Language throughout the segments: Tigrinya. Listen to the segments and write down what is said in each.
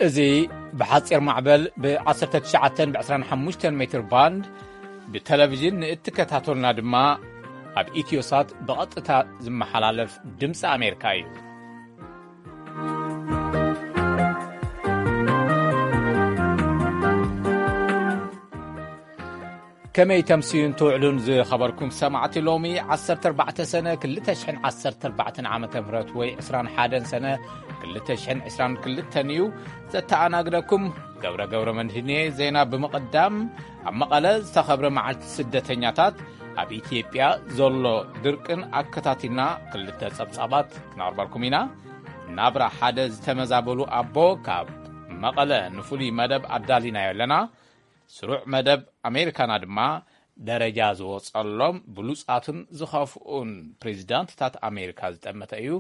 እዚ ብሓጺር ማዕበል ብ19 ብ25 ሜትር ባንድ ብቴሌቪዥን ንእትከታተሉና ድማ ኣብ ኢትዮሳት ብቐጥታ ዝመሓላለፍ ድምፂ ኣሜሪካ እዩ። ከመይ ተምስዩን ትውዕሉን ዝኸበርኩም ሰማዕቲ፣ ሎሚ 14 ሰነ 2014 ዓመተ ምህረት ወይ 21 ሰነ 2022 እዩ። ዘተኣናግደኩም ገብረ ገብረ መድህኔ። ዜና ብምቕዳም፣ ኣብ መቐለ ዝተኸብረ መዓልቲ ስደተኛታት፣ ኣብ ኢትዮጵያ ዘሎ ድርቅን ኣከታቲልና ክልተ ጸብጻባት ክነቕርበልኩም ኢና። ናብራ ሓደ ዝተመዛበሉ ኣቦ ካብ መቐለ ንፍሉይ መደብ ኣዳሊናዮ ኣለና። ስሩዕ መደብ ኣሜሪካና ድማ ደረጃ ዝወጸሎም ብሉጻትን ዝኸፍኡን ፕሬዚዳንትታት ኣሜሪካ ዝጠመተ እዩ።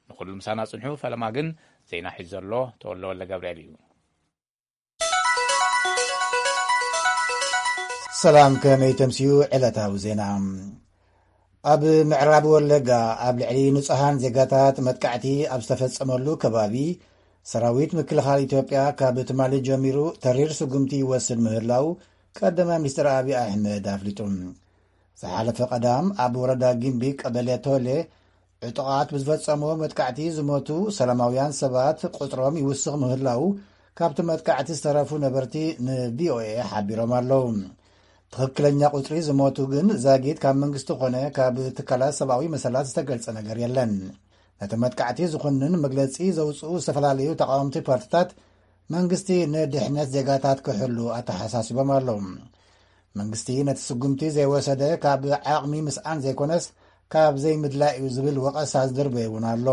ንኹሉ ምሳና ጽንሑ። ፈለማ ግን ዜና ሒዙ ዘሎ ተወልደ ወልደ ገብርኤል እዩ። ሰላም፣ ከመይ ተምስዩ? ዕለታዊ ዜና። ኣብ ምዕራብ ወለጋ ኣብ ልዕሊ ንጹሃን ዜጋታት መጥቃዕቲ ኣብ ዝተፈጸመሉ ከባቢ፣ ሰራዊት ምክልኻል ኢትዮጵያ ካብ ትማሊ ጀሚሩ ተሪር ስጉምቲ ይወስድ ምህላው ቀዳማይ ሚኒስትር ኣብይ ኣሕመድ ኣፍሊጡ። ዝሓለፈ ቀዳም ኣብ ወረዳ ጊምቢ ቀበሌ ቶሌ ዕጡቓት ብዝፈጸሞ መጥቃዕቲ ዝሞቱ ሰላማውያን ሰባት ቁጽሮም ይውስኽ ምህላው ካብቲ መጥቃዕቲ ዝተረፉ ነበርቲ ንቪኦኤ ሓቢሮም ኣለዉ። ትኽክለኛ ቁጽሪ ዝሞቱ ግን ዛጊት ካብ መንግስቲ ኾነ ካብ ትካላት ሰብኣዊ መሰላት ዝተገልጸ ነገር የለን። ነቲ መጥቃዕቲ ዝኹንን መግለጺ ዘውጽኡ ዝተፈላለዩ ተቃወምቲ ፓርትታት መንግስቲ ንድሕነት ዜጋታት ክሕሉ ኣተሓሳሲቦም ኣለዉ። መንግስቲ ነቲ ስጉምቲ ዘይወሰደ ካብ ዓቕሚ ምስኣን ዘይኮነስ ካብ ዘይምድላይ እዩ ዝብል ወቐሳ ዝድርበዩ እውን ኣሎ።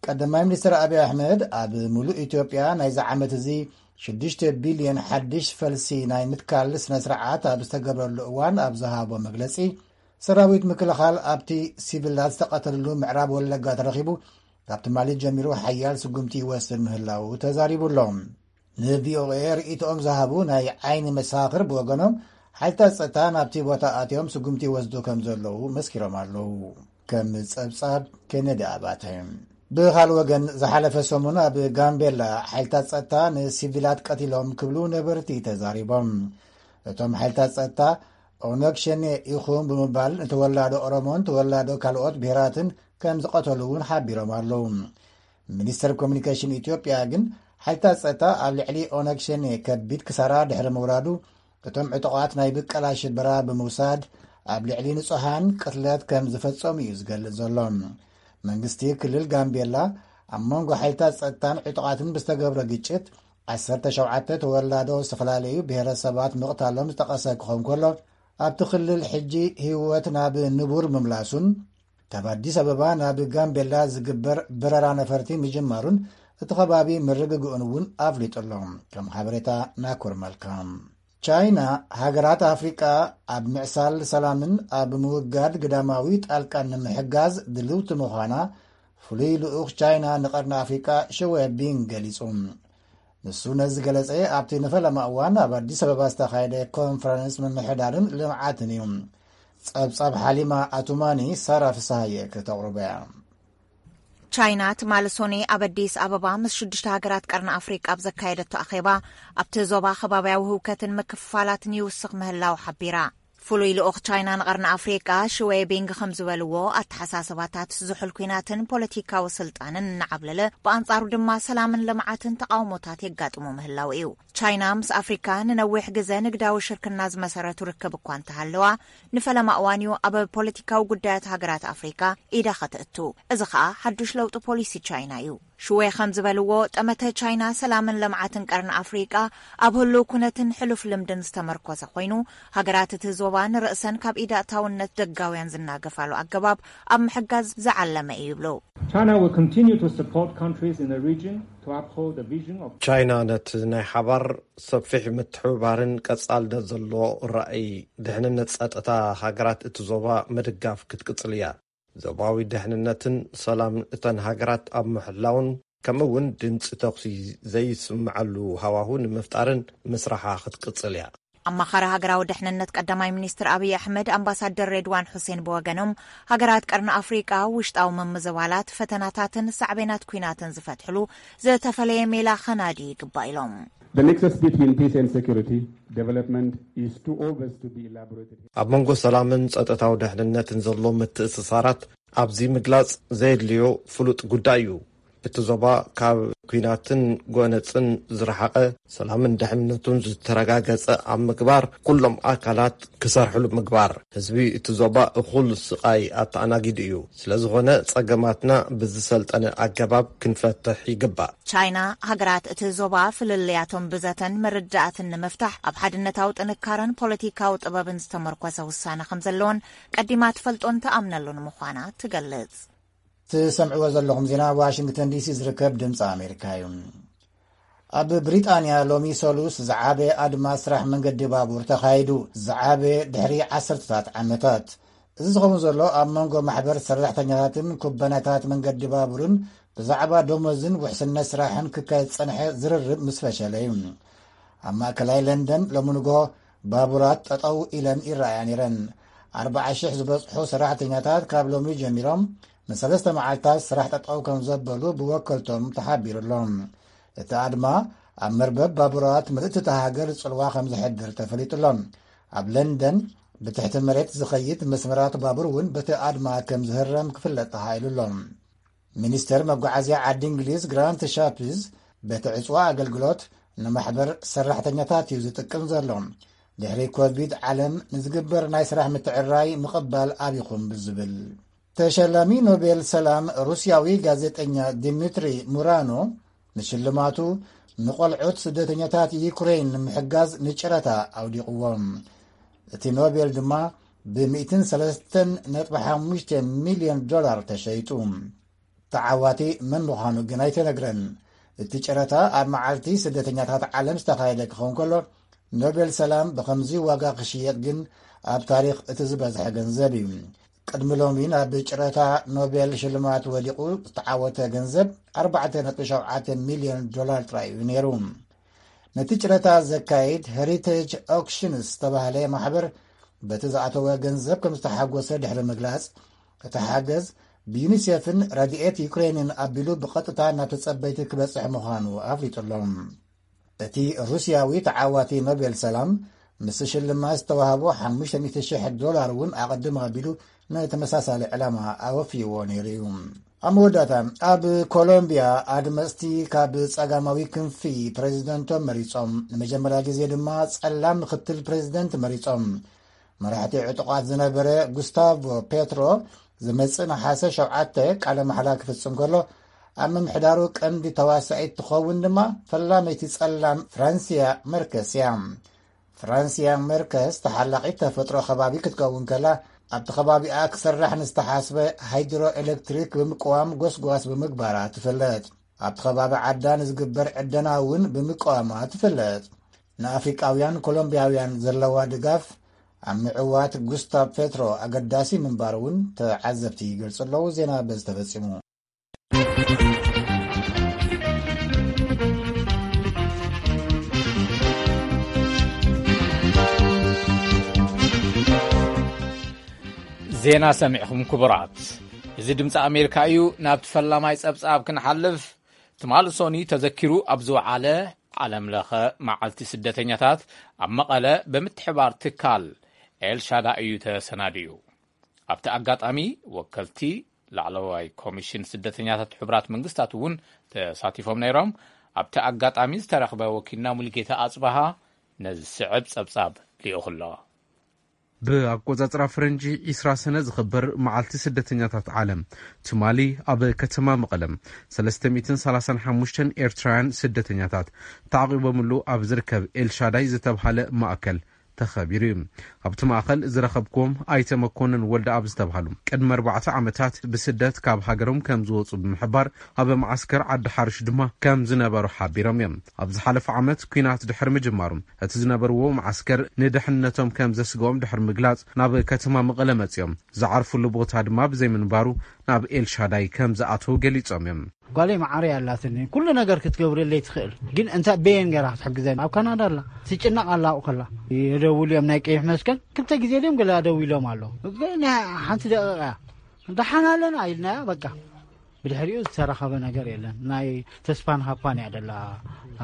ቀዳማይ ሚኒስትር ኣብይ ኣሕመድ ኣብ ሙሉእ ኢትዮጵያ ናይዚ ዓመት እዚ 6 ቢልዮን ሓድሽ ፈልሲ ናይ ምትካል ስነ ስርዓት ኣብ ዝተገብረሉ እዋን ኣብ ዝሃቦ መግለጺ፣ ሰራዊት ምክልኻል ኣብቲ ሲቪላት ዝተቐተልሉ ምዕራብ ወለጋ ተረኺቡ ካብ ትማሊ ጀሚሩ ሓያል ስጉምቲ ይወስድ ምህላው ተዛሪቡ ኣሎ። ንቪኦኤ ርእይቶኦም ዝሃቡ ናይ ዓይኒ መሳኽር ብወገኖም፣ ሓይልታት ጸጥታ ናብቲ ቦታ ኣትዮም ስጉምቲ ይወስዱ ከም ዘለዉ መስኪሮም ኣለዉ። ከም ጸብጻብ ኬነዲ ኣባተ። ብኻል ወገን፣ ዝሓለፈ ሰሙን ኣብ ጋምቤላ ሓይልታት ጸጥታ ንሲቪላት ቀቲሎም ክብሉ ነበርቲ ተዛሪቦም። እቶም ሓይልታት ጸጥታ ኦነግ ሸኔ ኢኹም ብምባል ንተወላዶ ኦሮሞን ተወላዶ ካልኦት ብሄራትን ከም ዝቐተሉ እውን ሓቢሮም ኣለዉ። ሚኒስተር ኮሚኒኬሽን ኢትዮጵያ ግን ሓይልታት ጸጥታ ኣብ ልዕሊ ኦነግ ሸኔ ከቢድ ክሳራ ድሕሪ ምውራዱ፣ እቶም ዕጡቓት ናይ ብቀላ ሽበራ ብምውሳድ ኣብ ልዕሊ ንጹሃን ቅትለት ከም ዝፈጸሙ እዩ ዝገልጽ ዘሎ። መንግስቲ ክልል ጋምቤላ ኣብ መንጎ ሓይልታት ጸጥታን ዕጡቓትን ብዝተገብረ ግጭት 17 ተወላዶ ዝተፈላለዩ ብሄረሰባት ምቕታሎም ዝጠቐሰ ክኸውን ከሎ፣ ኣብቲ ክልል ሕጂ ህይወት ናብ ንቡር ምምላሱን ካብ ኣዲስ ኣበባ ናብ ጋምቤላ ዝግበር በረራ ነፈርቲ ምጅማሩን እቲ ከባቢ ምርግግኡን እውን ኣፍሊጡ ኣሎ። ከም ሓበሬታ ናኩር መልካ። ቻይና፣ ሃገራት ኣፍሪቃ ኣብ ምዕሳል ሰላምን ኣብ ምውጋድ ግዳማዊ ጣልቃን ንምሕጋዝ ድልውቲ ምዃና ፍሉይ ልኡኽ ቻይና ንቐርኒ ኣፍሪቃ ሽወ ቢንግ ገሊጹ። ንሱ ነዚ ገለጸ ኣብቲ ንፈለማ እዋን ኣብ ኣዲስ ኣበባ ዝተኻየደ ኮንፈረንስ ምምሕዳርን ልምዓትን እዩ። ጸብጻብ ሓሊማ ኣቱማኒ ሳራ ፍስሃየ ከተቕርቦ እያ። ቻይና ትማሊ ሶኔ ኣብ ኣዲስ ኣበባ ምስ ሽዱሽተ ሃገራት ቀርኒ ኣፍሪቃ ኣብ ዘካየደቶ ኣኼባ፣ ኣብቲ ዞባ ከባብያዊ ህውከትን ምክፍፋላትን ይውስኽ ምህላው ሓቢራ። ፍሉይ ልኡኽ ቻይና ንቐርኒ ኣፍሪቃ ሽዌ ቢንግ ከም ዝበልዎ፣ ኣተሓሳስባታት ዝሑል ኲናትን ፖለቲካዊ ስልጣንን እናዓብለለ፣ ብኣንጻሩ ድማ ሰላምን ልምዓትን ተቃውሞታት የጋጥሞ ምህላው እዩ። ቻይና ምስ ኣፍሪካ ንነዊሕ ግዘ ንግዳዊ ሽርክና ዝመሰረቱ ርክብ እኳ እንተሃለዋ፣ ንፈለማ እዋን እዩ ኣብ ፖለቲካዊ ጉዳያት ሃገራት ኣፍሪካ ኢዳ ከተእቱ። እዚ ከኣ ሓዱሽ ለውጢ ፖሊሲ ቻይና እዩ። ሽዌ ከም ዝበልዎ፣ ጠመተ ቻይና ሰላምን ልምዓትን ቀርኒ ኣፍሪቃ ኣብ ህሉው ኩነትን ሕሉፍ ልምድን ዝተመርኮሰ ኮይኑ፣ ሃገራት እቲ ዞባ ንርእሰን ካብ ኢድ ኣእታውነት ደጋውያን ዝናገፋሉ ኣገባብ ኣብ ምሕጋዝ ዝዓለመ እዩ ይብሉ። China will continue to support countries in the region to uphold the vision of ቻይና ነቲ ናይ ሓባር ሰፊሕ ምትሕብባርን ቀጻልነት ዘለዎ ራእይ ድሕንነት ጸጥታ ሃገራት እቲ ዞባ ምድጋፍ ክትቅጽል እያ። ዞባዊ ድሕንነትን ሰላምን እተን ሃገራት ኣብ ምሕላውን ከምኡ እውን ድምጺ ተኹሲ ዘይስምዓሉ ሃዋሁ ንምፍጣርን ምስራሓ ክትቅጽል እያ። ኣማኻሪ ሃገራዊ ድሕንነት ቀዳማይ ሚኒስትር ኣብይ ኣሕመድ ኣምባሳደር ሬድዋን ሑሴን ብወገኖም፣ ሃገራት ቀርኒ ኣፍሪቃ ውሽጣዊ ምምዝባላት፣ ፈተናታትን ሳዕቤናት ኲናትን ዝፈትሕሉ ዝተፈለየ ሜላ ከናዲ ይግባእ ኢሎም። The nexus between peace and security development is too obvious to be elaborated. ኣብ መንጎ ሰላምን ጸጥታዊ ድሕንነትን ዘሎ ምትእስሳራት ኣብዚ ምግላጽ ዘየድልዮ ፍሉጥ ጉዳይ እዩ። እቲ ዞባ ካብ ኲናትን ጎነጽን ዝረሓቐ፣ ሰላምን ድሕንነቱን ዝተረጋገጸ ኣብ ምግባር፣ ኩሎም ኣካላት ክሰርሕሉ ምግባር። ህዝቢ እቲ ዞባ እኹል ስቓይ ኣተኣናጊዱ እዩ። ስለ ዝኾነ፣ ጸገማትና ብዝሰልጠነ ኣገባብ ክንፈትሕ ይግባእ። ቻይና፣ ሃገራት እቲ ዞባ ፍልልያቶም ብዘተን ምርዳእትን ንምፍታሕ ኣብ ሓድነታዊ ጥንካረን ፖለቲካዊ ጥበብን ዝተመርኮሰ ውሳነ ከም ዘለዎን ቀዲማ ትፈልጦን ትኣምነሉን ምዃና ትገልጽ። ትሰምዕዎ ዘለኹም ዜና ዋሽንግተን ዲሲ ዝርከብ ድምፂ ኣሜሪካ እዩ። ኣብ ብሪጣንያ ሎሚ ሰሉስ ዝዓበየ ኣድማ ስራሕ መንገዲ ባቡር ተኻይዱ። ዝዓበየ ድሕሪ ዓሰርተታት ዓመታት። እዚ ዝኸውን ዘሎ ኣብ መንጎ ማሕበር ሰራሕተኛታትን ኩባንያታት መንገዲ ባቡርን ብዛዕባ ደሞዝን ውሕስነት ስራሕን ክካየድ ዝጸንሐ ዝርርብ ምስ ፈሸለ እዩ። ኣብ ማእከላይ ለንደን ሎሚ ንግሆ ባቡራት ጠጠው ኢለን ይረኣያ ነይረን። ኣርባዓ ሽሕ ዝበጽሑ ሰራሕተኛታት ካብ ሎሚ ጀሚሮም ንሰለስተ መዓልታት ስራሕ ጠጠው ከም ዘበሉ ብወከልቶም ተሓቢሩ ኣሎ። እቲ ኣድማ ኣብ መርበብ ባቡራት ምልእቲ እታ ሃገር ጽልዋ ከም ዘሕድር ተፈሊጡ ኣሎ። ኣብ ለንደን ብትሕቲ መሬት ዝኸይድ መስመራት ባቡር እውን በቲ ኣድማ ከም ዝህረም ክፍለጥ ተኻኢሉ ኣሎ። ሚኒስተር መጓዓዝያ ዓዲ እንግሊዝ ግራንት ሻፕዝ፣ በቲ ዕጽዋ ኣገልግሎት ንማሕበር ሰራሕተኛታት እዩ ዝጥቅም ዘሎ። ድሕሪ ኮቪድ ዓለም ንዝግበር ናይ ስራሕ ምትዕራይ ምቕባል ኣብይኹም ብዝብል። ተሸላሚ ኖቤል ሰላም ሩስያዊ ጋዜጠኛ ዲሚትሪ ሙራኖ ንሽልማቱ ንቆልዑት ስደተኛታት ዩክሬን ንምሕጋዝ ንጨረታ ኣውዲቕዎም። እቲ ኖቤል ድማ ብ ሚእትን ሰለስተን ነጥቢ ሓሙሽተ ሚልዮን ዶላር ተሸይጡ። ተዓዋቲ መን ምዃኑ ግን ኣይተነግረን። እቲ ጨረታ ኣብ መዓልቲ ስደተኛታት ዓለም ዝተኻየደ ክኸውን ከሎ፣ ኖቤል ሰላም ብኸምዚ ዋጋ ክሽየጥ ግን ኣብ ታሪኽ እቲ ዝበዝሐ ገንዘብ እዩ። ቅድሚ ሎሚ ናብ ጨረታ ኖቤል ሽልማት ወዲቑ ዝተዓወተ ገንዘብ ኣርባዕተ ነጥቢ ሸውዓተ ሚልዮን ዶላር ጥራይ እዩ ነይሩ። ነቲ ጨረታ ዘካይድ ሄሪቴጅ ኦክሽንስ ዝተባህለ ማሕበር በቲ ዝኣተወ ገንዘብ ከም ዝተሓጎሰ ድሕሪ ምግላጽ፣ እቲ ሓገዝ ብዩኒሴፍን ረድኤት ዩክሬንን ኣቢሉ ብቐጥታ ናብ ተጸበይቲ ክበጽሕ ምዃኑ ኣፍሊጡ ኣሎ። እቲ ሩስያዊ ተዓዋቲ ኖቤል ሰላም፣ ምስ ሽልማት ዝተዋህቦ ሓሙሽተ ሚእቲ ሽሕ ዶላር እውን ኣቐድም ኣቢሉ ንተመሳሳሊ ዕላማ ኣወፍይዎ ነይሩ እዩ። ኣብ መወዳእታ፣ ኣብ ኮሎምቢያ ኣድመፅቲ ካብ ጸጋማዊ ክንፊ ፕሬዚደንቶም መሪጾም፣ ንመጀመርያ ግዜ ድማ ጸላም ምክትል ፕሬዚደንት መሪጾም። መራሕቲ ዕጡቓት ዝነበረ ጉስታቮ ፔትሮ ዝመጽእ ነሓሰ ሸውዓተ ቃለ ማሕላ ክፍጽም ከሎ፣ ኣብ ምምሕዳሩ ቀንዲ ተዋሳኢት ትኸውን ድማ ፈላመይቲ ጸላም ፍራንሲያ መርከስ እያ። ፍራንሲያ መርከስ ተሓላቒት ተፈጥሮ ከባቢ ክትከውን ከላ፣ ኣብቲ ከባቢኣ ክስራሕ ንዝተሓስበ ሃይድሮ ኤሌክትሪክ ብምቅዋም ጎስጓስ ብምግባራ ትፍለጥ። ኣብቲ ከባቢ ዓዳ ንዝግበር ዕደና እውን ብምቅዋማ ትፍለጥ። ንኣፍሪቃውያን ኮሎምቢያውያን ዘለዋ ድጋፍ ኣብ ምዕዋት ጉስታቭ ፔትሮ ኣገዳሲ ምንባሩ እውን ተዓዘብቲ ይገልጹ ኣለዉ። ዜና በዚ ተፈጺሙ። ዜና ሰሚዕኹም ክቡራት። እዚ ድምፂ ኣሜሪካ እዩ። ናብቲ ፈላማይ ጸብጻብ ክንሓልፍ፣ ትማሊ ሶኒ ተዘኪሩ ኣብ ዝወዓለ ዓለም ለኸ መዓልቲ ስደተኛታት ኣብ መቐለ ብምትሕባር ትካል ኤልሻዳ እዩ ተሰናድዩ። ኣብቲ ኣጋጣሚ ወከልቲ ላዕለዋይ ኮሚሽን ስደተኛታት ሕቡራት መንግስታት እውን ተሳቲፎም ነይሮም። ኣብቲ ኣጋጣሚ ዝተረኽበ ወኪልና ሙሉጌታ ኣጽበሃ ነዚ ዝስዕብ ጸብጻብ ልኢኹ ኣሎ። ብኣቆጻጽራ ፈረንጂ ዒስራ ሰነ ዝኽበር መዓልቲ ስደተኛታት ዓለም ትማሊ ኣብ ከተማ መቐለ ሰለስተ ሚእትን ሰላሳን ሓሙሽተን ኤርትራውያን ስደተኛታት ተዓቒቦምሉ ኣብ ዝርከብ ኤልሻዳይ ዝተብሃለ ማእከል ተኸቢሩ እዩ። ኣብቲ ማእከል ዝረኸብክዎም ኣይተ መኮንን ወልደኣብ ዝተብሃሉ ቅድሚ ኣርባዕተ ዓመታት ብስደት ካብ ሃገሮም ከም ዝወጹ ብምሕባር ኣብ መዓስከር ዓዲ ሓርሽ ድማ ከም ዝነበሩ ሓቢሮም እዮም። ኣብ ዝሓለፈ ዓመት ኲናት ድሕሪ ምጅማሩ እቲ ዝነበርዎ መዓስከር ንድሕንነቶም ከም ዘስግኦም ድሕሪ ምግላጽ ናብ ከተማ መቐለ መጺኦም። ዝዓርፉሉ ቦታ ድማ ብዘይምንባሩ ናብ ኤልሻዳይ ከም ዝኣተው ገሊጾም እዮም። ጓለይ መዓረይ ኣላትኒ፣ ኩሉ ነገር ክትገብረለይ ትኽእል፣ ግን እንታይ በየን ገራ ክትሕግዘኒ? ኣብ ካናዳ ኣላ፣ ትጭነቕ ኣላ ኣብኡ ከላ። የደውሉ እዮም ናይ ቀይሕ መስቀል፣ ክልተ ግዜ ድዮም ገለ ኣደዊሎም ኣሎ። ግን ሓንቲ ደቂቕ እያ፣ ደሓን ኣለና ኢልናያ፣ በቃ። ብድሕሪኡ ዝተረኸበ ነገር የለን። ናይ ተስፋን ሃፓን እያ ደላ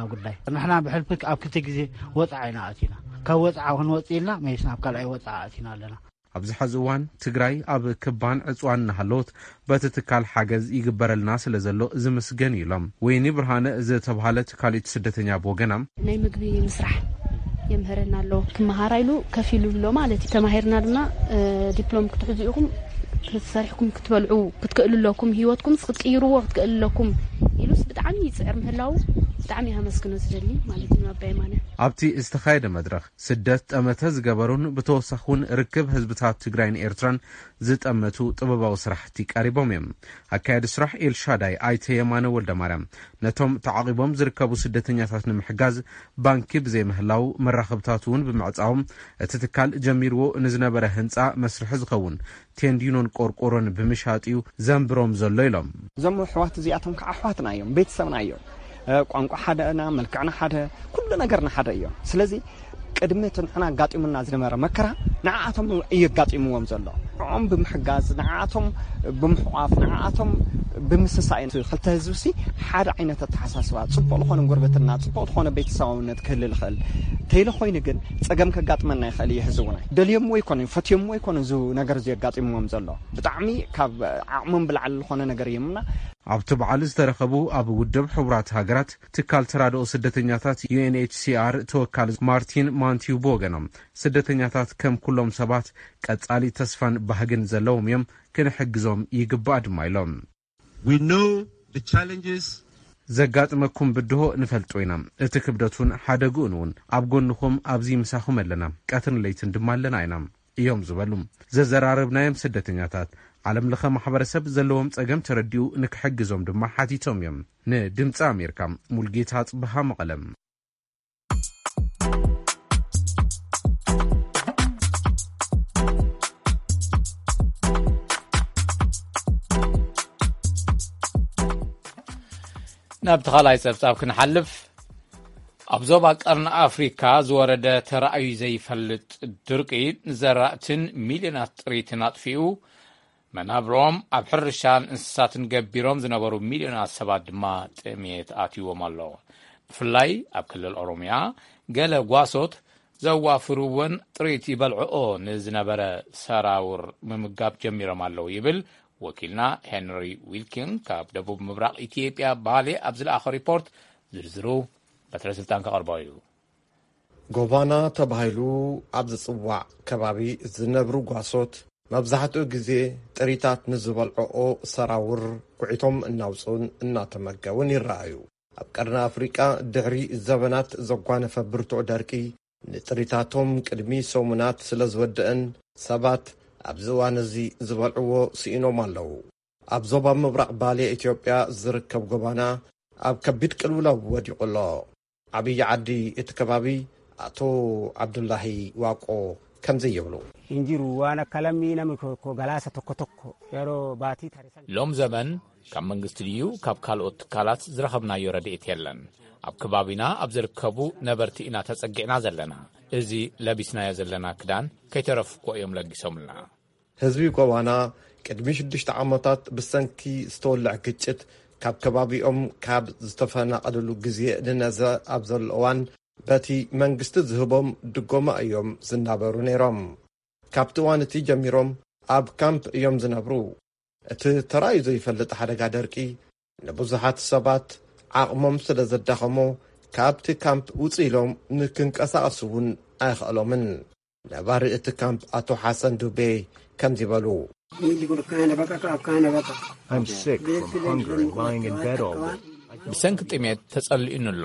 ኣብ ጉዳይ። ንሕና ብሕልፊ ኣብ ክልተ ግዜ ወፅዓ ኢና ኣቲና። ካብ ወፅዓ ክንወፅእ ኢልና መይስ ናብ ካልኣይ ወፅዓ ኣቲና ኣለና። ኣብዚ ሐዚ እዋን ትግራይ ኣብ ክባን ዕፅዋን እናሃለወት በቲ ትካል ሓገዝ ይግበረልና ስለ ዘሎ ዝምስገን እዩ ኢሎም። ወይኒ ብርሃነ ዝተብሃለት ካልኦት ስደተኛ ብወገና ናይ ምግቢ ምስራሕ የምህረና ኣሎ። ክመሃራ ኢሉ ከፊሉ ኣሎ ማለት እዩ። ተማሂርና ድማ እ፣ ዲፕሎም ክትሕዙ ኢኹም፣ ክትሰሪሕኩም ክትበልዑ ክትክእሉ ኣለኩም፣ ህይወትኩም ክትቅይርዎ ክትክእሉ ኣለኩም ኢሉስ ብጣዕሚ ይፅዕር ምህላው ብጣዕሚ ኣመስግኖ ዝደሊ ማለት እዩ። ኣባይ ማነ ኣብቲ ዝተኻየደ መድረኽ ስደት ጠመተ ዝገበሩን ብተወሳኺ እውን ርክብ ህዝብታት ትግራይን ኤርትራን ዝጠመቱ ጥበባዊ ስራሕቲ ቀሪቦም እዮም። ኣካያዲ ስራሕ ኤልሻዳይ ኣይተ የማነ ወልደማርያም ነቶም ተዓቒቦም ዝርከቡ ስደተኛታት ንምሕጋዝ ባንኪ ብዘይምህላው መራኸብታት እውን ብምዕፃዎም እቲ ትካል ጀሚርዎ ንዝነበረ ህንፃ መስርሒ ዝኸውን ቴንዲኖን ቆርቆሮን ብምሻጥ እዩ ዘንብሮም ዘሎ ኢሎም። እዞም ኣሕዋት እዚኣቶም ከዓ ኣሕዋትና እዮም፣ ቤተሰብና እዮም። እ፣ ቋንቋ ሓደና፣ መልክዕና ሓደ፣ ኩሉ ነገርና ሓደ እዮም። ስለዚ ቅድሚ እቲ ንሕና ኣጋጢሙና ዝነበረ መከራ ንዓኣቶም እዩ ኣጋጢምዎም ዘሎ። ንዕኦም ብምሕጋዝ፣ ንዓኣቶም ብምሕቋፍ፣ ንዓኣቶም ብምስሳይ፣ እቲ ክልተ ህዝቢ ሲ ሓደ ዓይነት ኣተሓሳስባ፣ ፅቡቕ ዝኾነ ጉርብትና፣ ፅቡቕ ዝኾነ ቤተሰባውነት ክህልል ይኽእል። ተይለ ኮይኑ ግን ፀገም ከጋጥመና ይኽእል እዩ። ሕዚ እውን ደልዮምዎ ኣይኮኑን፣ ፈትዮምዎ ኣይኮኑን እዚ ነገር እዚ ኣጋጢምዎም ዘሎ። ብጣዕሚ ካብ ዓቕሞም ብላዕሊ ዝኾነ ነገር እዮምና። ኣብቲ በዓል ዝተረኸቡ ኣብ ውድብ ሕቡራት ሃገራት ትካል ተራድኦ ስደተኛታት ዩ ኤን ኤች ሲ ኣር ተወካሊ ማርቲን ማንቲዩ ብወገኖም ስደተኛታት ከም ኩሎም ሰባት ቀጻሊ ተስፋን ባህግን ዘለዎም እዮም፣ ክንሕግዞም ይግባእ ድማ ኢሎም። We know the challenges ዘጋጥመኩም ብድሆ ንፈልጦ ኢና። እቲ ክብደቱን ሓደግኡን እውን ኣብ ጎንኹም ኣብዚ ምሳኹም ኣለና። ቀትርን ለይትን ድማ ኣለና ኢና እዮም ዝበሉ። ዘዘራረብናዮም ስደተኛታት ዓለም ለኸ ማሕበረሰብ ዘለዎም ጸገም ተረዲኡ ንክሕግዞም ድማ ሓቲቶም እዮም። ንድምፂ ኣሜሪካ ሙልጌታ ጽብሃ መቐለም። ናብ ተኻላይ ጸብጻብ ክንሓልፍ፣ ኣብ ዞባ ቀርኒ ኣፍሪካ ዝወረደ ተራእዩ ዘይፈልጥ ድርቂ ንዘራእትን ሚልዮናት ጥሪትን ኣጥፊኡ፣ መናብሮም ኣብ ሕርሻን እንስሳትን ገቢሮም ዝነበሩ ሚልዮናት ሰባት ድማ ጥሜት ኣትይዎም ኣሎ። ብፍላይ ኣብ ክልል ኦሮምያ ገለ ጓሶት ዘዋፍርወን ጥሪት ይበልዕኦ ንዝነበረ ሰራውር ምምጋብ ጀሚሮም ኣለዉ ይብል ወኪልና ሄንሪ ዊልኪን ካብ ደቡብ ምብራቕ ኢትዮጵያ ባሌ ኣብ ዝለኣኸ ሪፖርት። ዝርዝሩ በትረ ስልጣን ከቐርቦ እዩ። ጎባና ተባሂሉ ኣብ ዝጽዋዕ ከባቢ ዝነብሩ ጓሶት መብዛሕትኡ ግዜ ጥሪታት ንዝበልዕኦ ሰራውር ኩዒቶም እናውጽኡን እናተመገቡን ይረኣዩ። ኣብ ቀርኒ ኣፍሪቃ ድሕሪ ዘበናት ዘጓነፈ ብርቱዕ ደርቂ ንጥሪታቶም ቅድሚ ሰሙናት ስለ ዝወደአን ሰባት ኣብዚ እዋን እዚ ዝበልዕዎ ስኢኖም ኣለዉ። ኣብ ዞባ ምብራቕ ባሌ ኢትዮጵያ ዝርከብ ጎባና ኣብ ከቢድ ቅልውላው ወዲቑ ኣሎ። ዓብዪ ዓዲ እቲ ከባቢ ኣቶ ዓብዱላሂ ዋቆ ከምዚ ይብሉ። Hin jiru waan akka lammii namni koo galaasa tokko tokko yeroo baatii tarisan. ሎም ዘመን ካብ መንግስቲ ድዩ ካብ ካልኦት ትካላት ዝረኸብናዮ ረድኤት የለን። ኣብ ከባቢና ኣብ ዝርከቡ ነበርቲ ኢና ተጸጊዕና ዘለና። እዚ ለቢስናዮ ዘለና ክዳን ከይተረፍኮ እዮም ለጊሶምልና። ህዝቢ ጎባና ቅድሚ ሽዱሽተ ዓመታት ብሰንኪ ዝተወልዐ ግጭት ካብ ከባቢኦም ካብ ዝተፈናቐልሉ ግዜ ንነዘ ኣብ ዘሎ እዋን በቲ መንግስቲ ዝህቦም ድጎማ እዮም ዝናበሩ ነይሮም። ካብቲ እዋን እቲ ጀሚሮም ኣብ ካምፕ እዮም ዝነብሩ። እቲ ተራእዩ ዘይፈልጥ ሓደጋ ደርቂ ንብዙሓት ሰባት ዓቕሞም ስለ ዘዳኸሞ ካብቲ ካምፕ ውፅእ ኢሎም ንክንቀሳቐሱ እውን ኣይኸእሎምን። ነባሪ እቲ ካምፕ ኣቶ ሓሰን ዱቤ ከምዚ በሉ። I'm sick from hunger and lying in bed all day. ብሰንኪ ጥሜት ተጸሊኡኒ ኣሎ።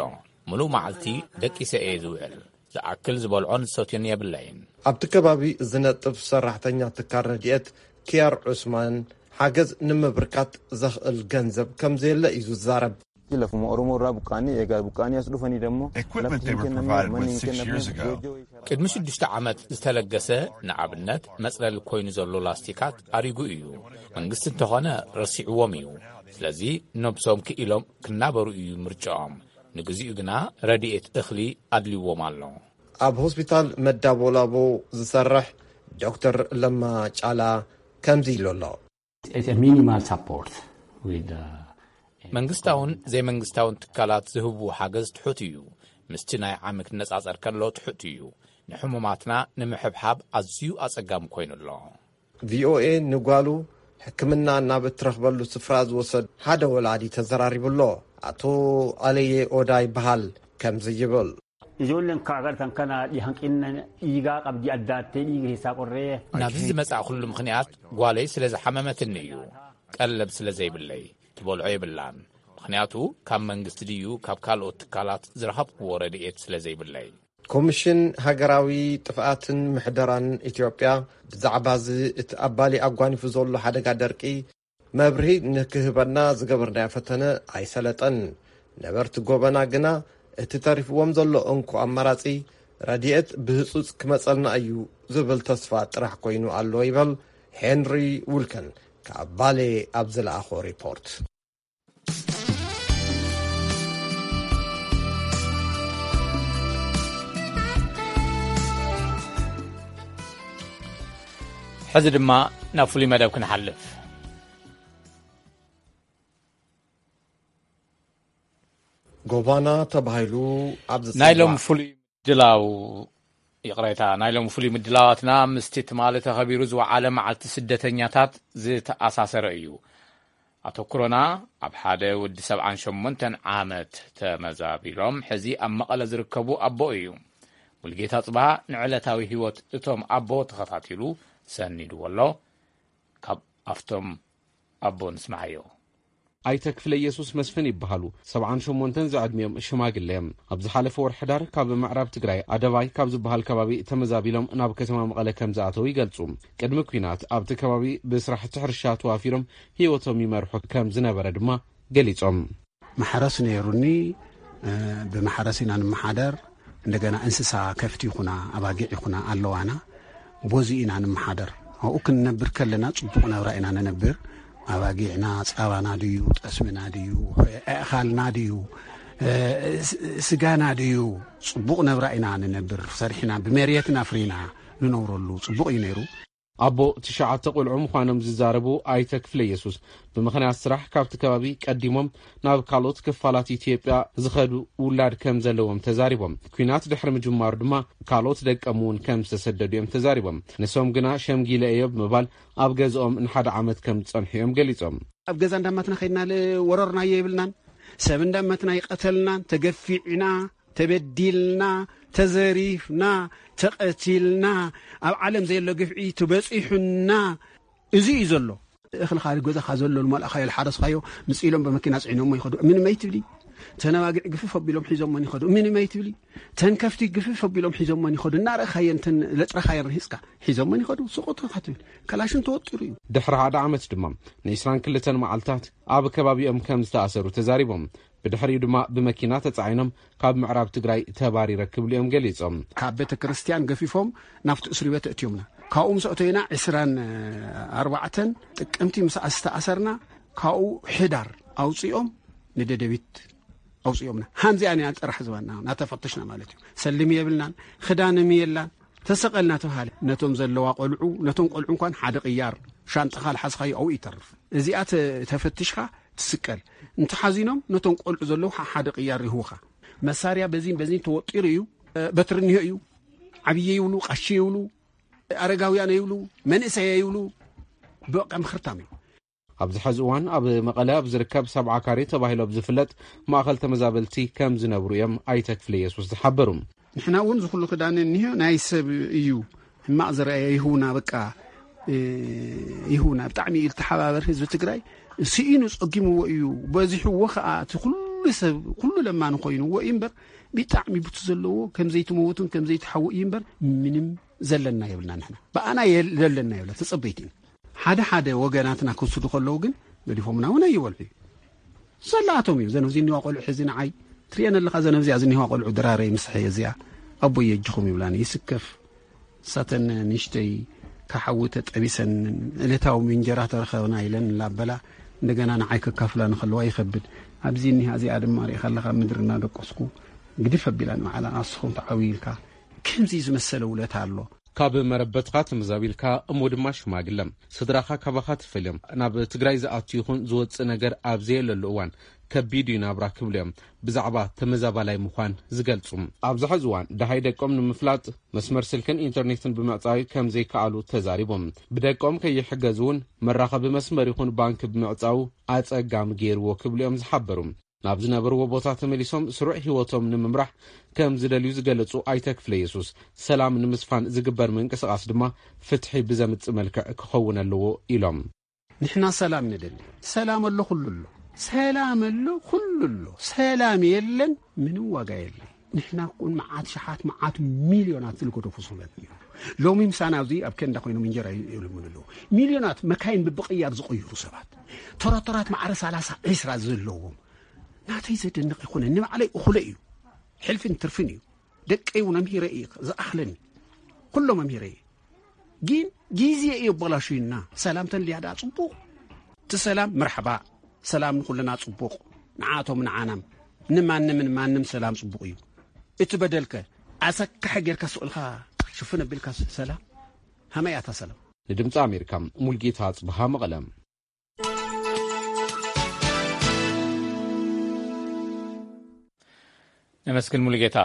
ምሉእ መዓልቲ ደቂሰ እየ ዝውዕል። ዝኣክል ዝበልዖን ዝሰትዮን የብለይን። ኣብቲ ከባቢ ዝነጥፍ ሰራሕተኛ ትካል ረድኤት ኪያር ዑስማን ሓገዝ ንምብርካት ዘኽእል ገንዘብ ከም ዘየለ እዩ ዝዛረብ። Lafuma Oromoo irraa buqqaanii egaa buqqaanii as dhufanii dammoo Equipment they were provided with six years ago. ቅድሚ ሽዱሽተ ዓመት ዝተለገሰ ንኣብነት መጽለሊ ኮይኑ ዘሎ ላስቲካት ኣሪጉ እዩ። መንግስቲ እንተኾነ ረሲዕዎም እዩ። ስለዚ ነብሶም ክኢሎም ክናበሩ እዩ ምርጫኦም። ንግዚኡ ግና ረድኤት እኽሊ ኣድልዎም ኣሎ። ኣብ ሆስፒታል መዳቦላቦ ዝሰርሕ ዶክተር ለማ ጫላ ከምዚ ኢሉ ኣሎ። It's a minimal support with uh, መንግስታውን ዘይመንግስታውን ትካላት ዝህብዎ ሓገዝ ትሑት እዩ። ምስቲ ናይ ዓሚ ክነጻጸር ከሎ ትሑት እዩ። ንሕሙማትና ንምሕብሓብ ኣዝዩ ኣጸጋሚ ኮይኑ ኣሎ። ቪኦኤ ንጓሉ ሕክምና ናብ እትረኽበሉ ስፍራ ዝወሰድ ሓደ ወላዲ ተዘራሪቡ ኣሎ። ኣቶ ኣለየ ኦዳ ይበሃል። ከምዚ ይብል። Ijoolleen kaa agartan kana hanqinna dhiigaa qabdi addaattee dhiiga keessaa qorree. ናብዚ ዝመጻእኩሉ ምኽንያት ጓለይ ስለ ዝሓመመትኒ እዩ። ቀለብ ስለ ዘይብለይ ትበልዖ የብላን። ምኽንያቱ ካብ መንግስቲ ድዩ ካብ ካልኦት ትካላት ዝረኸብክዎ ረድኤት ስለ ዘይብለይ። ኮሚሽን ሃገራዊ ጥፍኣትን ምሕደራን ኢትዮጵያ ብዛዕባ እዚ እቲ ኣባሊ ኣጓኒፉ ዘሎ ሓደጋ ደርቂ መብርሂ ንክህበና ዝገበርናዮ ፈተነ ኣይሰለጠን። ነበርቲ ጎበና ግና እቲ ተሪፍዎም ዘሎ እንኮ ኣማራጺ ረድኤት ብህጹጽ ክመጸልና እዩ ዝብል ተስፋ ጥራሕ ኮይኑ ኣሎ ይበል ሄንሪ ውልከን ካብ ባሌ ኣብ ዝለኣኾ ሪፖርት። ሕዚ ድማ ናብ ፍሉይ መደብ ክንሓልፍ። ጎባና ተባሂሉ ኣብ ናይ ሎም ዝጽዋዕ ፍሉይ ምድላው ይቕሬታ ናይ ሎም ፍሉይ ምድላዋትና ምስቲ ትማሊ ተኸቢሩ ዝወዓለ መዓልቲ ስደተኛታት ዝተኣሳሰረ እዩ። ኣተኩሮና ኣብ ሓደ ወዲ ሰብዓን ሸሞንተን ዓመት ተመዛቢሎም ሕዚ ኣብ መቐለ ዝርከቡ ኣቦ እዩ። ሙልጌታ ጽባሃ ንዕለታዊ ህይወት እቶም ኣቦ ተኸታቲሉ ሰኒድዎ ኣሎ። ካብ ኣፍቶም ኣቦ ንስምዓዮ። ኣይተ ክፍለ ኢየሱስ መስፍን ይበሃሉ። ሰብዓን ሸሞንተን ዝዕድሚኦም ሽማግለ እዮም። ኣብ ዝሓለፈ ወርሒ ሕዳር ካብ ምዕራብ ትግራይ ኣደባይ ካብ ዝበሃል ከባቢ ተመዛቢሎም ናብ ከተማ መቐለ ከም ዝኣተው ይገልጹ። ቅድሚ ኲናት ኣብቲ ከባቢ ብስራሕቲ ሕርሻ ተዋፊሮም ህይወቶም ይመርሑ ከም ዝነበረ ድማ ገሊጾም። ማሕረስ ነይሩኒ። ብማሕረስ ኢና ንመሓደር። እንደገና እንስሳ ከፍቲ ይኹና ኣባጊዕ ይኹና ኣለዋና። ቦዚ ኢና ንመሓደር። ኣብኡ ክንነብር ከለና ጽቡቕ ነብራ ኢና ንነብር። ኣባጊዕና ጻባና ድዩ፣ ጠስምና ድዩ፣ ኣእኻልና ድዩ፣ ስጋና ድዩ፣ ጽቡቕ ነብራ ኢና ንነብር። ሰሪሕና ብመሬትና ፍሪና ንነብረሉ ጽቡቕ እዩ ነይሩ። ኣቦ ትሽዓተ ቆልዑ ምዃኖም ዝዛረቡ ኣይተ ክፍለ ኢየሱስ ብምኽንያት ስራሕ ካብቲ ከባቢ ቀዲሞም ናብ ካልኦት ክፋላት ኢትዮጵያ ዝኸዱ ውላድ ከም ዘለዎም ተዛሪቦም። ኲናት ድሕሪ ምጅማሩ ድማ ካልኦት ደቀም እውን ከም ዝተሰደዱ እዮም ተዛሪቦም። ንሶም ግና ሸምጊለ እዮ ብምባል ኣብ ገዝኦም ንሓደ ዓመት ከም ዝጸንሑ እዮም ገሊጾም። ኣብ ገዛ እንዳማትና ከይድና ወረርናዮ የብልናን። ሰብ እንዳመትና ይቀተልናን ተገፊዕና ተበዲልና ተዘሪፍና ተቐቲልና ኣብ ዓለም ዘየሎ ግፍዒ ትበፂሑና። እዚ እዩ ዘሎ። እኽልኻ ገዛኻ ዘሎ ዝመልእኻዮ ዝሓረስኻዮ ምፅኢሎም ብመኪና ፅዒኖሞ ይኸዱ። ምንም ኣይትብሊ። ተነባጊዕ ግፍፍ ኣቢሎም ሒዞሞን ይኸዱ። ምንም ኣይትብሊ። ተንከፍቲ ግፍፍ ኣቢሎም ሒዞሞን ይኸዱ። እናረእኻየን ተን ለጥረኻየን ርሂፅካ ሒዞሞን ይኸዱ። ስቑጥኻ ትብል። ከላሽን ተወጢሩ እዩ። ድሕሪ ሓደ ዓመት ድማ ንዒስራን ክልተን መዓልታት ኣብ ከባቢኦም ከም ዝተኣሰሩ ተዛሪቦም። ብድሕሪኡ ድማ ብመኪና ተጻዒኖም ካብ ምዕራብ ትግራይ ተባሪረ ክብሉ እዮም ገሊጾም። ካብ ቤተ ክርስቲያን ገፊፎም ናብቲ እስሪ ቤት እትዮምና። ካብኡ ምስ ኣተዩና ዕስራን ኣርባዕተን ጥቅምቲ ምስ ዝተኣሰርና ካብኡ ሕዳር ኣውፂኦም ንደደቢት ኣውፂኦምና። ሃንዚኣ ኒና ጥራሕ ዝበና ናተፈተሽና ማለት እዩ። ሰልሚ የብልናን ክዳንም የላን ተሰቐልና ተባሃለ። ነቶም ዘለዋ ቆልዑ ነቶም ቆልዑ እንኳን ሓደ ቅያር ሻንጣኻ ልሓዝኻዮ ኣብኡ ይተርፍ። እዚኣ ተፈትሽካ ትስቀል። እንተሓዚኖም ነቶም ቆልዑ ዘለዉ ሓደ ቅያር ይህቡኻ። መሳርያ በዚን በዚን ተወጢሩ እዩ። በትሪ እኒሆ እዩ። ዓብየ ይብሉ፣ ቀሺ ይብሉ፣ ኣረጋውያን ይብሉ፣ መንእሰያ ይብሉ። በቃ ምኽርታም እዩ። ኣብዚ ሐዚ እዋን ኣብ መቐለ ኣብ ዝርከብ ሰብዓ ካሬ ተባሂሉ ኣብ ዝፍለጥ ማእኸል ተመዛበልቲ ከም ዝነብሩ እዮም ኣይተ ክፍለ ኢየሱስ ዝሓበሩ። ንሕና እውን ዝኹሉ ክዳን እኒሆ ናይ ሰብ እዩ። ሕማቕ ዝረኣየ ይህውና በቃ ይህውና። ብጣዕሚ እዩ ዝተሓባበር ህዝቢ ትግራይ። ስኢኑ ጸጊምዎ እዩ በዚሕዎ ከዓ እቲ ኩሉ ሰብ ኩሉ ለማኒ ኮይንዎ እዩ እምበር ብጣዕሚ ብቲ ዘለዎ ከም ዘይትመውትን ከም ዘይትሓዊ እዩ እምበር ምንም ዘለና የብልና። ንሕና ብኣና ዘለና የብላ ተጸበይቲ ኢና። ሓደ ሓደ ወገናትና ክውስዱ ከለዉ ግን ገዲፎምና እውን ኣይበልዑ እዩ። ሰላቶም እዩ። ዘነብዚ እኒዋ ቆልዑ ሕዚ ንዓይ ትሪኤን ኣለኻ። ዘነብዚኣ ዝኒዋ ቆልዑ ድራረይ ምስሐ እዚኣ ኣቦይ የጅኹም ይብላኒ ይስከፍ። ሳተን ንሽተይ ካሓዊ ተጠቢሰን ዕለታዊ እንጀራ ተረኸብና ኢለን ላበላ እንደገና ንዓይ ከካፍላ ንኸለዋ ይኸብድ። ኣብዚ እኒሃ እዚኣ ድማ ሪኢኻ ኣለኻ ምድሪ እናደቆስኩ ግድፍ ኣቢላን ባዕላ ኣስኹም ተዓዊ ኢልካ ከምዚ ዝመሰለ ውለታ ኣሎ። ካብ መረበትኻ ተመዛቢልካ እሞ ድማ ሽማግለ ስድራኻ ካባኻ ትፈልዮም ናብ ትግራይ ዝኣቱ ይኹን ዝወፅእ ነገር ኣብ ዘየለሉ እዋን ከቢድ እዩ ናብራ ክብሉ እዮም ብዛዕባ ተመዛባላይ ምዃን ዝገልፁ። ኣብዚ ሕዚ እዋን ደሃይ ደቆም ንምፍላጥ መስመር ስልክን ኢንተርኔትን ብምዕፃይ ከም ዘይከኣሉ ተዛሪቦም። ብደቆም ከይሕገዙ እውን መራኸቢ መስመር ይኹን ባንክ ብምዕፃው ኣፀጋሚ ገይርዎ ክብሉ እዮም ዝሓበሩ። ናብ ዝነበርዎ ቦታ ተመሊሶም ስሩዕ ህይወቶም ንምምራሕ ከም ዝደልዩ ዝገለጹ ኣይተ ክፍለ የሱስ፣ ሰላም ንምስፋን ዝግበር ምንቅስቓስ ድማ ፍትሒ ብዘምጽእ መልክዕ ክኸውን ኣለዎ ኢሎም። ንሕና ሰላም ንደሊ። ሰላም ኣሎ፣ ኩሉ ኣሎ። ሰላም ኣሎ፣ ኩሉ ኣሎ። ሰላም የለን፣ ምንም ዋጋ የለን። ንሕና እኮ መዓት ሸሓት መዓት ሚልዮናት ዝልገደፉ ሰባት እዮም። ሎሚ ምሳና ኣብዚ ኣብ ኬንዳ ኮይኖም እንጀራ ይልምኑ ኣለዉ። ሚልዮናት መካይን ብብቕያር ዝቕይሩ ሰባት፣ ተረተራት ማዕረ ሰላሳ ዕስራ ዘለዎም። ናተይ ዘደንቕ ይኹነ፣ ንባዕለይ እኹለ እዩ። ሕልፍን ትርፍን እዩ። ደቀይ እውን ኣምሂረ እየ ዝኣኽለኒ። ኩሎም ኣምሂረ እየ። ግን ግዜ እዩ ኣበላሹና። ሰላም ተልያ ደኣ ጽቡቕ። እቲ ሰላም መርሓባ፣ ሰላም ንኹልና ጽቡቕ፣ ንዓቶም ንዓናም፣ ንማንምን ማንም ሰላም ጽቡቕ እዩ። እቲ በደልከ ኣሰካሒ ጌርካ ስቕ ኢልካ ሽፍን ኣቢልካ ሰላም? ሃመይ ኣታ ሰላም? ንድምፂ ኣሜሪካ ሙልጌታ ኣጽብሃ መቐለ። ነመስግን ሙሉጌታ።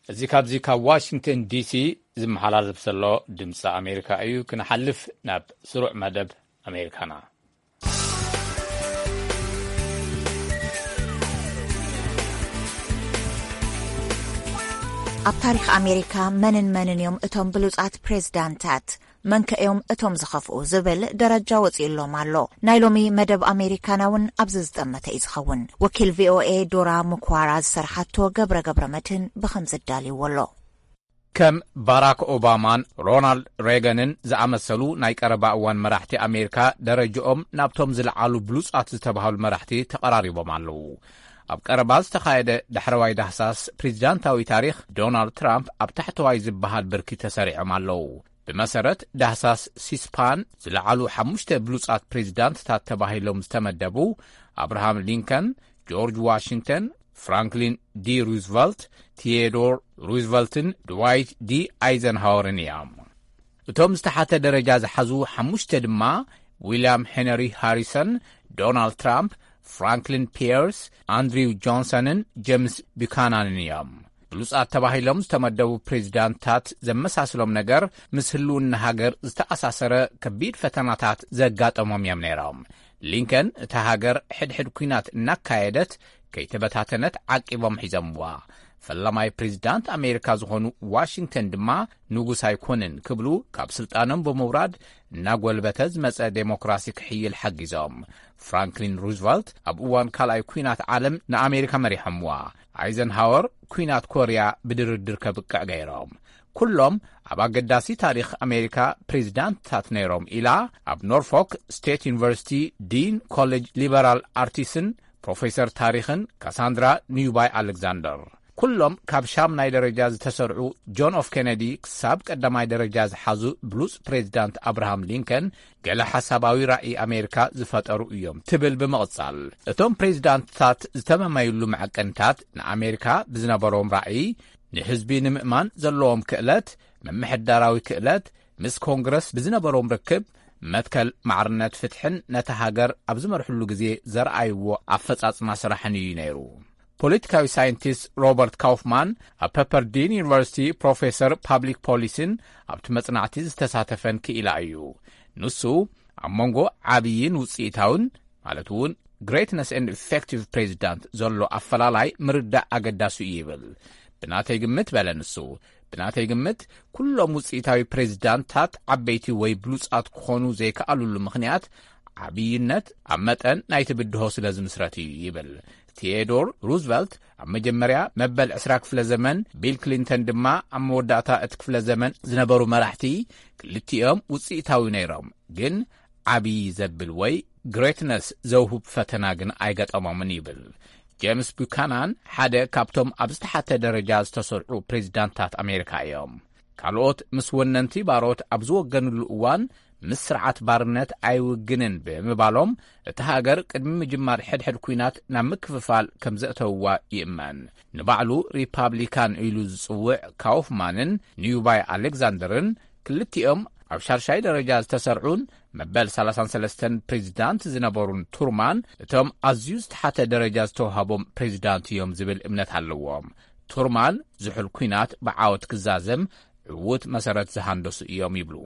እዚ ካብዚ ካብ ዋሽንግተን ዲሲ ዝመሓላለፍ ዘሎ ድምፂ ኣሜሪካ እዩ። ክንሓልፍ ናብ ስሩዕ መደብ ኣሜሪካና። ኣብ ታሪኽ ኣሜሪካ መንን መንን እዮም እቶም ብሉጻት ፕሬዝዳንታት? መንከ እዮም እቶም ዝኸፍኡ ዝብል ደረጃ ወጺኡሎም ኣሎ። ናይ ሎሚ መደብ ኣሜሪካና እውን ኣብዚ ዝጠመተ እዩ ዝኸውን። ወኪል ቪኦኤ ዶራ ምኳራ ዝሰርሓቶ ገብረ ገብረ መድህን ብኸምዚ ኣዳልይዎ ኣሎ። ከም ባራክ ኦባማን ሮናልድ ሬገንን ዝኣመሰሉ ናይ ቀረባ እዋን መራሕቲ ኣሜሪካ ደረጃኦም ናብቶም ዝለዓሉ ብሉጻት ዝተባህሉ መራሕቲ ተቐራሪቦም ኣለዉ። ኣብ ቀረባ ዝተኻየደ ዳሕረዋይ ዳህሳስ ፕሬዚዳንታዊ ታሪኽ ዶናልድ ትራምፕ ኣብ ታሕተዋይ ዝበሃል ብርኪ ተሰሪዖም ኣለዉ። ብመሰረት ዳህሳስ ሲስፓን ዝለዓሉ ሓሙሽተ ብሉጻት ፕሬዚዳንትታት ተባሂሎም ዝተመደቡ ኣብርሃም ሊንከን፣ ጆርጅ ዋሽንግተን፣ ፍራንክሊን ዲ ሩዝቨልት፣ ቲዮዶር ሩዝቨልትን ድዋይት ዲ ኣይዘንሃወርን እዮም። እቶም ዝተሓተ ደረጃ ዝሓዙ ሓሙሽተ ድማ ዊልያም ሄነሪ ሃሪሰን፣ ዶናልድ ትራምፕ፣ ፍራንክሊን ፒየርስ፣ ኣንድሪው ጆንሰንን ጄምስ ቡካናንን እዮም። ብሉጻት ተባሂሎም ዝተመደቡ ፕሬዚዳንትታት ዘመሳስሎም ነገር ምስ ህልውና ሃገር ዝተኣሳሰረ ከቢድ ፈተናታት ዘጋጠሞም እዮም ነይሮም። ሊንከን እታ ሃገር ሕድሕድ ኲናት እናካየደት ከይተበታተነት ዓቂቦም ሒዞምዋ። ፈላማይ ፕሬዚዳንት ኣሜሪካ ዝኾኑ ዋሽንግተን ድማ ንጉስ ኣይኮንን ክብሉ ካብ ስልጣኖም ብምውራድ እናጎልበተ ዝመጸ ዴሞክራሲ ክሕይል ሓጊዞም። ፍራንክሊን ሩዝቨልት ኣብ እዋን ካልኣይ ኲናት ዓለም ንኣሜሪካ መሪሖምዋ። ኣይዘንሃወር ኲናት ኮርያ ብድርድር ከብቅዕ ገይሮም። ኩሎም ኣብ ኣገዳሲ ታሪኽ ኣሜሪካ ፕሬዚዳንትታት ነይሮም ኢላ ኣብ ኖርፎክ ስቴት ዩኒቨርሲቲ ዲን ኮሌጅ ሊበራል ኣርቲስን ፕሮፌሰር ታሪኽን ካሳንድራ ኒውባይ ኣሌክዛንደር። ኩሎም ካብ ሻምናይ ደረጃ ዝተሰርዑ ጆን ኤፍ ኬነዲ ክሳብ ቀዳማይ ደረጃ ዝሓዙ ብሉጽ ፕሬዚዳንት ኣብርሃም ሊንከን ገለ ሓሳባዊ ራእይ ኣሜሪካ ዝፈጠሩ እዮም ትብል ብምቕጻል፣ እቶም ፕሬዚዳንትታት ዝተመመይሉ መዐቀንታት ንኣሜሪካ ብዝነበሮም ራእይ፣ ንህዝቢ ንምእማን ዘለዎም ክእለት፣ ምምሕዳራዊ ክእለት፣ ምስ ኮንግረስ ብዝነበሮም ርክብ፣ መትከል ማዕርነት ፍትሕን ነታ ሃገር ኣብ ዝመርሕሉ ግዜ ዘርኣይዎ ኣፈጻጽማ ስራሕን እዩ ነይሩ። ፖለቲካዊ ሳይንቲስት ሮበርት ካውፍማን ኣብ ፐፐርዲን ዩኒቨርሲቲ ፕሮፌሰር ፓብሊክ ፖሊሲን ኣብቲ መጽናዕቲ ዝተሳተፈን ክኢላ እዩ። ንሱ ኣብ መንጎ ዓብይን ውጽኢታውን ማለት እውን ግሬትነስ ኤንድ ኢፌክቲቭ ፕሬዚዳንት ዘሎ ኣፈላላይ ምርዳእ ኣገዳሲ እዩ ይብል። ብናተይ ግምት በለ ንሱ፣ ብናተይ ግምት ኩሎም ውጽኢታዊ ፕሬዚዳንታት ዓበይቲ ወይ ብሉጻት ክኾኑ ዘይከኣሉሉ ምኽንያት ዓብይነት ኣብ መጠን ናይቲ ብድሆ ስለ ዝምስረት እዩ ይብል። ቲዮዶር ሩዝቨልት ኣብ መጀመርያ መበል ዕስራ ክፍለ ዘመን፣ ቢል ክሊንተን ድማ ኣብ መወዳእታ እቲ ክፍለ ዘመን ዝነበሩ መራሕቲ ክልቲኦም ውጽኢታዊ ነይሮም፣ ግን ዓብዪ ዘብል ወይ ግሬትነስ ዘውህብ ፈተና ግን ኣይገጠሞምን ይብል። ጄምስ ቡካናን ሓደ ካብቶም ኣብ ዝተሓተ ደረጃ ዝተሰርዑ ፕሬዚዳንታት ኣሜሪካ እዮም። ካልኦት ምስ ወነንቲ ባሮት ኣብ ዝወገንሉ እዋን ምስ ስርዓት ባርነት ኣይውግንን ብምባሎም፣ እቲ ሃገር ቅድሚ ምጅማር ሕድሕድ ኲናት ናብ ምክፍፋል ከም ዘእተውዋ ይእመን። ንባዕሉ ሪፓብሊካን ኢሉ ዝጽውዕ ካውፍማንን ኒውባይ ኣሌክዛንደርን፣ ክልቲኦም ኣብ ሻርሻይ ደረጃ ዝተሰርዑን መበል ሰላሳን ሰለስተን ፕሬዚዳንት ዝነበሩን ቱርማን፣ እቶም ኣዝዩ ዝተሓተ ደረጃ ዝተዋሃቦም ፕሬዚዳንት እዮም ዝብል እምነት ኣለዎም። ቱርማን ዝሑል ኲናት ብዓወት ክዛዘም ዕዉት መሰረት ዝሃንደሱ እዮም ይብሉ።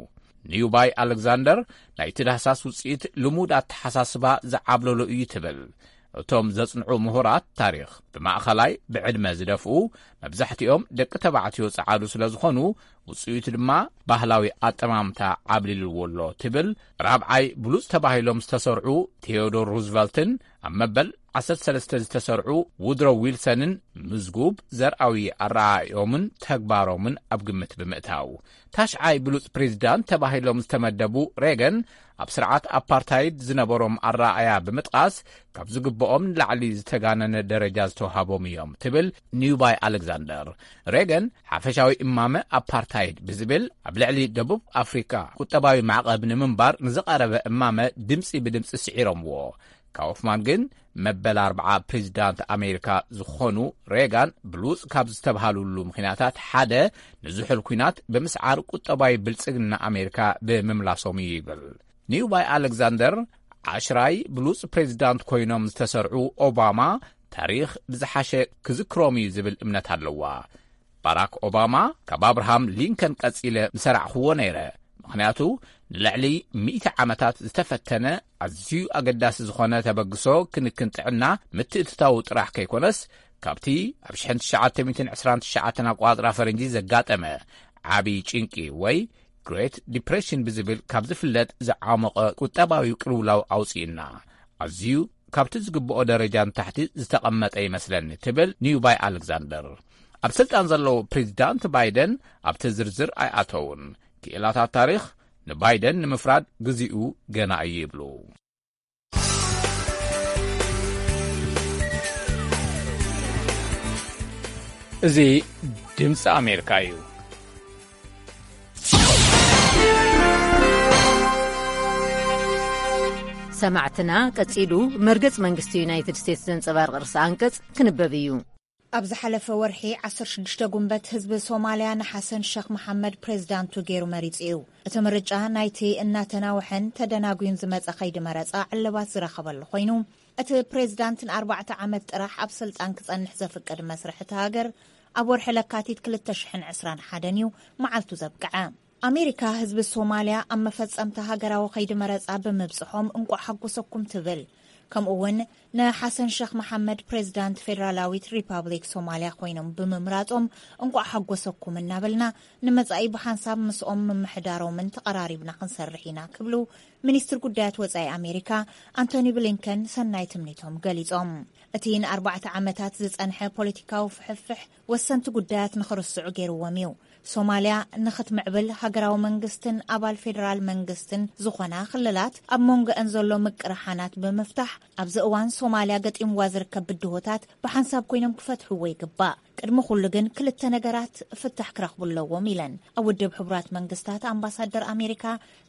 ኒውባይ ኣሌክዛንደር፣ ናይቲ ዳህሳስ ውጽኢት ልሙድ ኣተሓሳስባ ዝዓብለሎ እዩ ትብል። እቶም ዘጽንዑ ምሁራት ታሪኽ፣ ብማእኸላይ ብዕድመ ዝደፍኡ፣ መብዛሕትኦም ደቂ ተባዕትዮ ጸዓዱ ስለ ዝኾኑ፣ ውጽኢቱ ድማ ባህላዊ ኣጠማምታ ዓብሊልዎ ኣሎ ትብል ራብዓይ ብሉጽ ተባሂሎም ዝተሰርዑ ቴዎዶር ሩዝቨልትን ኣብ መበል ዓሰርተ ሰለስተ ዝተሰርዑ ውድሮ ዊልሰንን፣ ምዝጉብ ዘርኣዊ ኣረኣእዮምን ተግባሮምን ኣብ ግምት ብምእታው፣ ታሽዓይ ብሉጽ ፕሬዚዳንት ተባሂሎም ዝተመደቡ ሬገን፣ ኣብ ስርዓት ኣፓርታይድ ዝነበሮም ኣረኣእያ ብምጥቃስ፣ ካብ ዝግብኦም ንላዕሊ ዝተጋነነ ደረጃ ዝተዋሃቦም እዮም ትብል ኒውባይ ኣሌክዛንደር። ሬገን፣ ሓፈሻዊ እማመ ኣፓርታይድ ብዝብል ኣብ ልዕሊ ደቡብ ኣፍሪካ ቁጠባዊ ማዕቐብ ንምንባር ንዝቐረበ እማመ ድምፂ ብድምፂ ስዒሮምዎ። ካውፍማን ግን፣ መበል ኣርብዓ ፕሬዚዳንት ኣሜሪካ ዝኾኑ ሬጋን፣ ብሉጽ ካብ ዝተብሃሉሉ ምኽንያታት ሓደ፣ ንዝሑል ኲናት ብምስዓር ቁጠባዊ ብልጽግና ኣሜሪካ ብምምላሶም እዩ ይብል። ኒውባይ ኣሌክዛንደር፣ ዓሽራይ ብሉጽ ፕሬዚዳንት ኮይኖም ዝተሰርዑ ኦባማ፣ ታሪኽ ብዝሓሸ ክዝክሮም እዩ ዝብል እምነት ኣለዋ። ባራክ ኦባማ፣ ካብ ኣብርሃም ሊንከን ቀጺለ ምሰራዕኽዎ ነይረ፣ ምኽንያቱ ንልዕሊ ሚእቲ ዓመታት ዝተፈተነ፣ ኣዝዩ ኣገዳሲ ዝኾነ ተበግሶ ክንክን ጥዕና ምትእትታዉ ጥራሕ ከይኮነስ፣ ካብቲ ኣብ ሽሕን ትሽዓተ ሚእትን ዕስራን ትሽዓተን ኣቋጽራ ፈረንጂ ዘጋጠመ ዓቢ ጭንቂ ወይ ግሬት ዲፕሬሽን ብዝብል ካብ ዝፍለጥ ዝዓሞቐ ቁጠባዊ ቅልውላው ኣውጺእና፣ ኣዝዩ ካብቲ ዝግብኦ ደረጃ ንታሕቲ ዝተቐመጠ ይመስለኒ ትብል ኒውባይ ኣሌክዛንደር። ኣብ ስልጣን ዘለዉ ፕሬዚዳንት ባይደን ኣብቲ ዝርዝር ኣይኣተዉን። ክኢላታት ታሪኽ ንባይደን ንምፍራድ ግዚኡ ገና እዩ ይብሉ። እዚ ድምፂ ኣሜሪካ እዩ። ሰማዕትና፣ ቀጺሉ መርገጽ መንግስቲ ዩናይትድ ስቴትስ ዘንጸባርቕ ርእሰ ኣንቀጽ ክንበብ እዩ። ኣብ ዝሓለፈ ወርሒ ዓሰርተ ሽዱሽተ ጉንበት፣ ህዝቢ ሶማልያ ንሓሰን ሸኽ መሓመድ ፕሬዝዳንቱ ገይሩ መሪጹ እዩ። እቲ ምርጫ ናይቲ እናተናውሐን ተደናጉዩን ዝመጸ ከይዲ መረጻ ዕልባት ዝረኸበሉ ኮይኑ፣ እቲ ፕሬዝዳንት ንኣርባዕተ ዓመት ጥራሕ ኣብ ስልጣን ክጸንሕ ዘፍቅድ መስርሕ እቲ ሃገር ኣብ ወርሒ ለካቲት ክልተ ሽሕን ዕስራን ሓደን እዩ መዓልቱ ዘብቅዐ። ኣሜሪካ ህዝቢ ሶማልያ ኣብ መፈጸምታ ሃገራዊ ከይዲ መረጻ ብምብጽሖም እንቋዕ ሓጎሰኩም ትብል። ከምኡ እውን ንሓሰን ሸኽ መሓመድ ፕሬዝዳንት ፌደራላዊት ሪፓብሊክ ሶማልያ ኮይኖም ብምምራጾም እንቋዕ ሓጎሰኩም እናበልና፣ ንመጻኢ ብሓንሳብ ምስኦም ምምሕዳሮምን ተቐራሪብና ክንሰርሕ ኢና ክብሉ ሚኒስትር ጉዳያት ወጻኢ ኣሜሪካ ኣንቶኒ ብሊንከን ሰናይ ትምኒቶም ገሊጾም። እቲ ንኣርባዕተ ዓመታት ዝጸንሐ ፖለቲካዊ ፍሕፍሕ ወሰንቲ ጉዳያት ንኽርስዑ ገይርዎም እዩ። ሶማልያ ንኽትምዕብል ሃገራዊ መንግስትን ኣባል ፌደራል መንግስትን ዝኾና ክልላት ኣብ መንጎአን ዘሎ ምቅርሓናት ብምፍታሕ ኣብዚ እዋን ሶማልያ ገጢምዋ ዝርከብ ብድሆታት ብሓንሳብ ኮይኖም ክፈትሕዎ ይግባእ። ቅድሚ ኩሉ ግን ክልተ ነገራት ፍታሕ ክረኽቡ ኣለዎም ኢለን ኣብ ውድብ ሕቡራት መንግስታት ኣምባሳደር ኣሜሪካ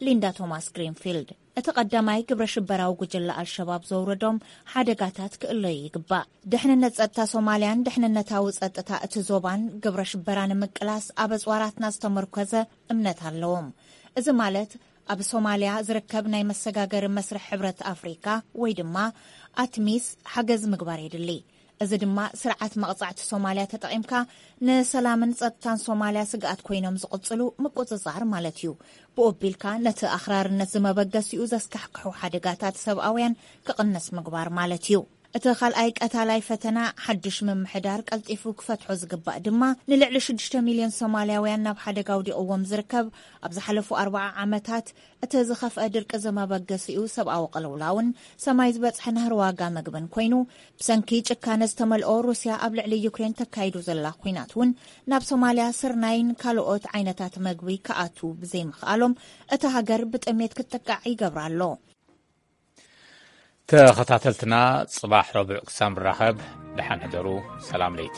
ሊንዳ ቶማስ ግሪንፊልድ። እቲ ቀዳማይ ግብረ ሽበራዊ ጉጅለ ኣልሸባብ ዘውረዶም ሓደጋታት ክእለዩ ይግባእ። ድሕንነት ጸጥታ ሶማልያን ድሕንነታዊ ጸጥታ እቲ ዞባን ግብረ ሽበራ ንምቅላስ ኣብ ኣጽዋራትና ዝተመርኮዘ እምነት ኣለዎም። እዚ ማለት ኣብ ሶማልያ ዝርከብ ናይ መሰጋገሪ መስርሕ ሕብረት ኣፍሪካ ወይ ድማ ኣትሚስ ሓገዝ ምግባር የድሊ። እዚ ድማ ስርዓት መቕጻዕቲ ሶማልያ ተጠቒምካ ንሰላምን ጸጥታን ሶማልያ ስግኣት ኮይኖም ዝቕጽሉ ምቁጽጻር ማለት እዩ። ብኡ ኣቢልካ ነቲ ኣኽራርነት ዝመበገሲኡ ዘስካሕክሑ ሓደጋታት ሰብኣውያን ክቕንስ ምግባር ማለት እዩ። እቲ ካልኣይ ቀታላይ ፈተና ሓድሽ ምምሕዳር ቀልጢፉ ክፈትሖ ዝግባእ ድማ ንልዕሊ ሽዱሽተ ሚልዮን ሶማልያውያን ናብ ሓደጋ ኣውዲቕዎም ዝርከብ ኣብ ዝሓለፉ ኣርብዓ ዓመታት እቲ ዝኸፍአ ድርቂ ዘመበገሲኡ ሰብኣዊ ቅልውላውን ሰማይ ዝበጽሐ ናህሪ ዋጋ መግብን ኮይኑ፣ ብሰንኪ ጭካነ ዝተመልኦ ሩስያ ኣብ ልዕሊ ዩክሬን ተካይዶ ዘላ ኲናት እውን ናብ ሶማልያ ስርናይን ካልኦት ዓይነታት መግቢ ክኣቱ ብዘይምኽኣሎም እታ ሃገር ብጥሜት ክትጥቃዕ ይገብራ ኣሎ። ተኸታተልትና፣ ጽባሕ ረቡዕ ክሳብ ንራኸብ፣ ደሓን ሕደሩ። ሰላም ለይቲ።